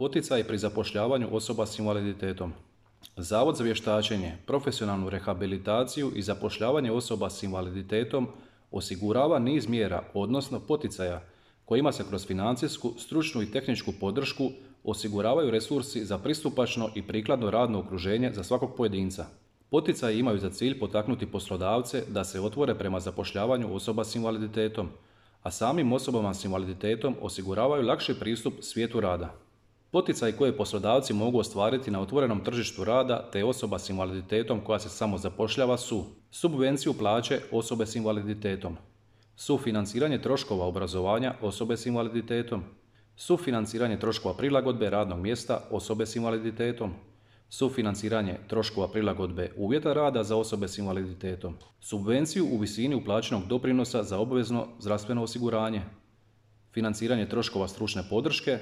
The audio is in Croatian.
Poticaj pri zapošljavanju osoba s invaliditetom. Zavod za vještačenje, profesionalnu rehabilitaciju i zapošljavanje osoba s invaliditetom osigurava niz mjera, odnosno poticaja, kojima se kroz financijsku, stručnu i tehničku podršku osiguravaju resursi za pristupačno i prikladno radno okruženje za svakog pojedinca. Poticaji imaju za cilj potaknuti poslodavce da se otvore prema zapošljavanju osoba s invaliditetom, a samim osobama s invaliditetom osiguravaju lakši pristup svijetu rada. Poticaji koje poslodavci mogu ostvariti na otvorenom tržištu rada te osoba s invaliditetom koja se samo zapošljava su subvenciju plaće osobe s invaliditetom, sufinanciranje troškova obrazovanja osobe s invaliditetom, sufinanciranje troškova prilagodbe radnog mjesta osobe s invaliditetom, sufinanciranje troškova prilagodbe uvjeta rada za osobe s invaliditetom, subvenciju u visini uplaćenog doprinosa za obvezno zdravstveno osiguranje, financiranje troškova stručne podrške